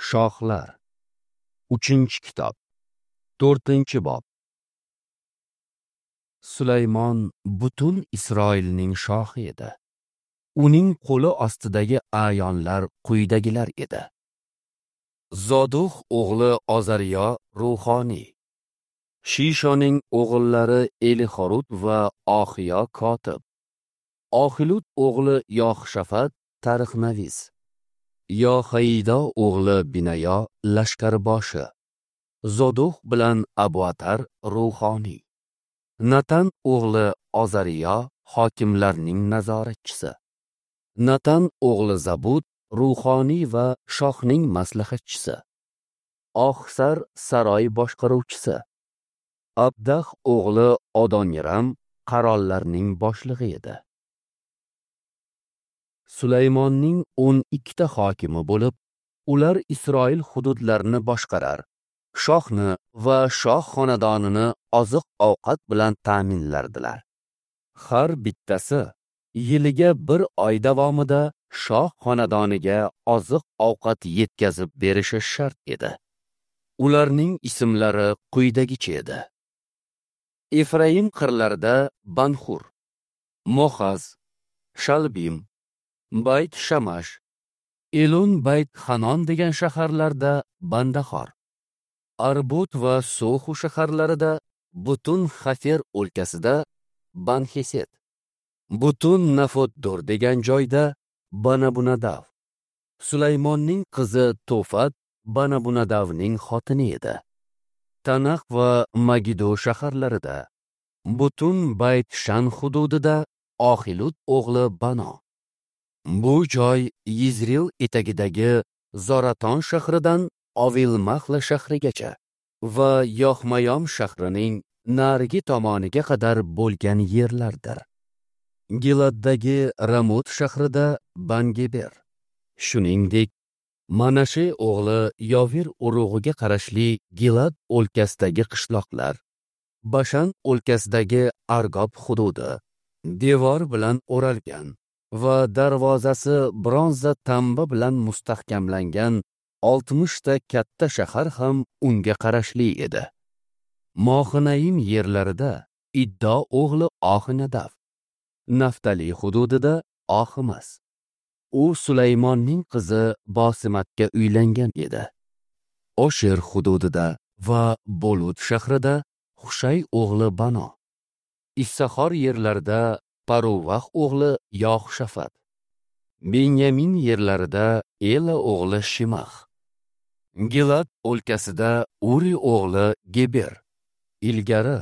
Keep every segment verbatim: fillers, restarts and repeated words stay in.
Shohlar. Uchinchi kitob. To'rtinchi bob. Sulaymon butun Isroilning shohi edi. Uning qo'li ostidagi a'yonlar quyidagilar edi. Zoduh o'g'li Ozariyo ruhoniy, Shishoning o'g'illari Elixorut va Oxiyo kotib, Oxilud o'g'li Yoxshafat tarixnavis, Yoxaida o'g'li Binayo lashkarboshi, Zoduh bilan Abuatar ruhoniy, Natan o'g'li Ozariyo hokimlarning nazoratchisi, Natan o'g'li Zabud ruhoniy va shohning maslahatchisi, Oxsar saroy boshqaruvchisi, Abdah o'g'li Odoniram qarollarning boshlig'i edi. Sulaymonning o'n ikkita hokimi bo'lib, ular Isroil hududlarini boshqarar, shohni va shoh xonadonini oziq-ovqat bilan ta'minlardilar. Har bittasi yiliga bir oy davomida shoh xonadoniga oziq-ovqat yetkazib berishi shart edi. Ularning ismlari quyidagicha edi. Efraim qirlarida Banxur, Moxaz, Shalbim, Bayt Shamash, Elon Bayt Hanon degan shaharlarda Bandahor, Arbut va Soxu shaharlarida, butun Xafer o'lkasida Banxeset, butun Nafotdor degan joyda Banabunadav. Sulaymonning qizi Tofat Banabunadavning xotini edi. Tanax va Magido shaharlarida, butun Bayt Shan hududida Oxilud o'g'li Bano. Bu joy Yizril etagidagi Zoraton shahridan Ovilmahla shahrigacha va Yoxmayom shahrining narigi tomoniga qadar bo'lgan yerlardir. Giladdagi Ramot shahrida Bangeber. Shuningdek, Manashe o'g'li Yovir urug'iga qarashli Gilad o'lkasidagi qishloqlar, Bashan o'lkasidagi Argob hududi devor bilan o'ralgan va darvozasi bronza tamba bilan mustahkamlangan oltmishta katta shahar ham unga qarashli edi. Mohinaim yerlarida Iddo o'g'li Oxinadav, Naftali hududida Oximas. U Sulaymonning qizi Bosimatga uylangan edi. Osher hududida va Bolut shahrida Hushay o'g'li Bano, Issahor yerlarida Paruvax o'g'li Yoxshafat, Benyamin yerlarida Ela o'g'li Shimax, Gilad o'lkasida Uri o'g'li Geber. Ilgari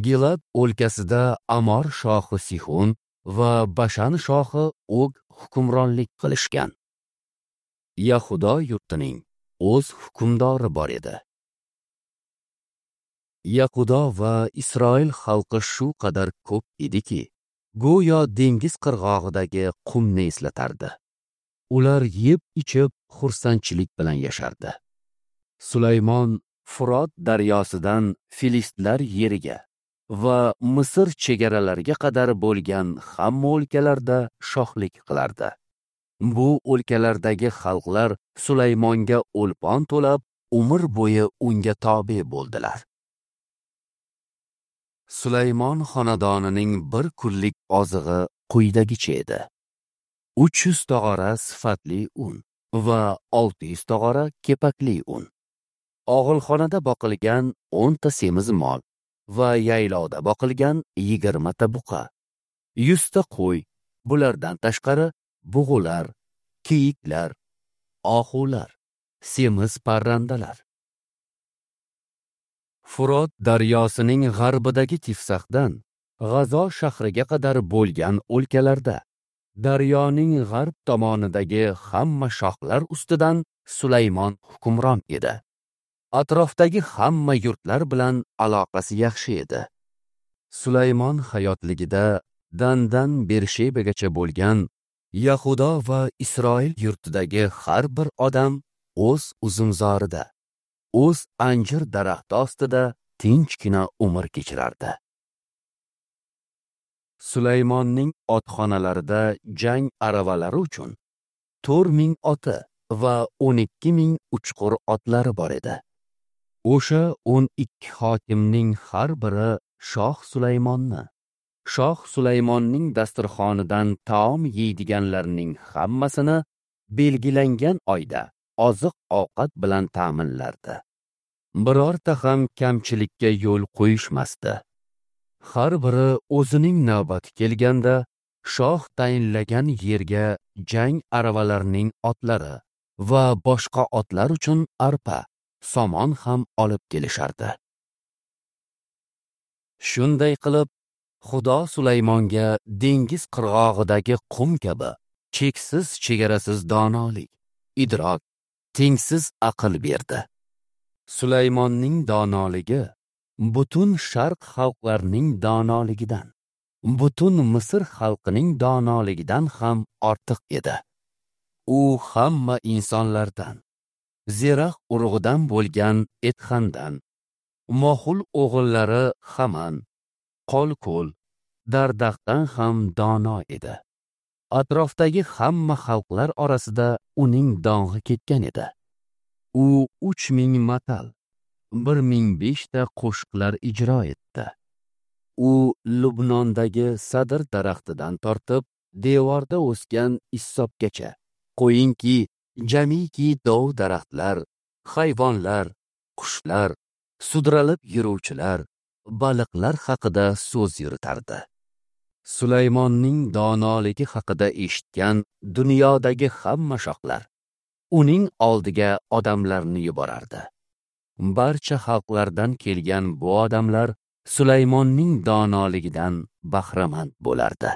Gilad o'lkasida Amor shohi Sihon va Bashan shohi Og hukmronlik qilishgan. Yahudo yurtining o'z hukmdori bor edi. Yahudo va Isroil xalqi shu qadar ko'p ediki, go'yo dengiz qirg'og'idagi qumni eslatardi. Ular yeb-ichib xursandchilik bilan yashardi. Sulaymon Furot daryosidan Filistlar yeriga va Misr chegaralariga qadar bo'lgan hamma o'lkalarda shohlik qilardi. Bu o'lkalardagi xalqlar Sulaymonga o'lpon to'lab, umr bo'yi unga tobe bo'ldilar. Sulaymon xonadonining bir kunlik ozig'i quyidagicha edi: uch yuz tog'ora sifatli un va olti yuz tog'ora kepakli un, og'ilxonada boqilgan o'nta semiz mol va yaylovda boqilgan yigirmata buqa, yuzta qo'y, bulardan tashqari bug'ular, kiyiklar, ohular, semiz parrandalar. Furot daryosining g'arbidagi Tifsaxdan G'azo shahriga qadar bo'lgan o'lkalarda, daryoning g'arb tomonidagi hamma shohlar ustidan Sulaymon hukmron edi. Atrofdagi hamma yurtlar bilan aloqasi yaxshi edi. Sulaymon hayotligida Dandan Bershebagacha bo'lgan Yahudo va Isroil yurtidagi har bir odam o'z uzumzorida, o'z anjir daraxti ostida tinchgina umr kechirardi. Sulaymonning otxonalarida jang aravalari uchun to'rt ming oti va o'n ikki ming uchqur otlari bor edi. O'sha o'n ikki hokimning har biri shoh Sulaymonni, shoh Sulaymonning dasturxonidan taom yeydiganlarning hammasini belgilangan oyda oziq-ovqat bilan ta'minlardi. Birorta ham kamchilikka yo'l qo'yishmasdi. Har biri o'zining navbati kelganda shoh tayinlagan yerga jang aravalarining otlari va boshqa otlar uchun arpa, somon ham olib kelishardi. Shunday qilib, Xudo Sulaymonga dengiz qirg'og'idagi qum kabi cheksiz chegarasiz donolik, idrok, tengsiz aql berdi. Sulaymonning donoligi butun sharq xalqlarining donoligidan, butun Misr xalqining donoligidan ham ortiq edi. U hamma insonlardan, Zerax urug'idan bo'lgan Etxandan, Mohul o'g'illari Haman, Qolko'l, Dardaqdan ham dono edi. Atrofdagi hamma xalqlar orasida uning dong'i ketgan edi. U uch ming matal, bir ming beshta qo'shiqlar ijro etdi. U Lubnondagi sadr daraxtidan tortib devorda o'sgan issobgacha, qo'yinki, jamiki dov daraxtlar, hayvonlar, qushlar, sudralib yuruvchilar, baliqlar haqida so'z yuritardi. Sulaymonning donoligi haqida eshitgan dunyodagi hamma shohlar uning oldiga odamlarni yuborardi. Barcha xalqlardan kelgan bu odamlar Sulaymonning donoligidan bahramand bo'lardi.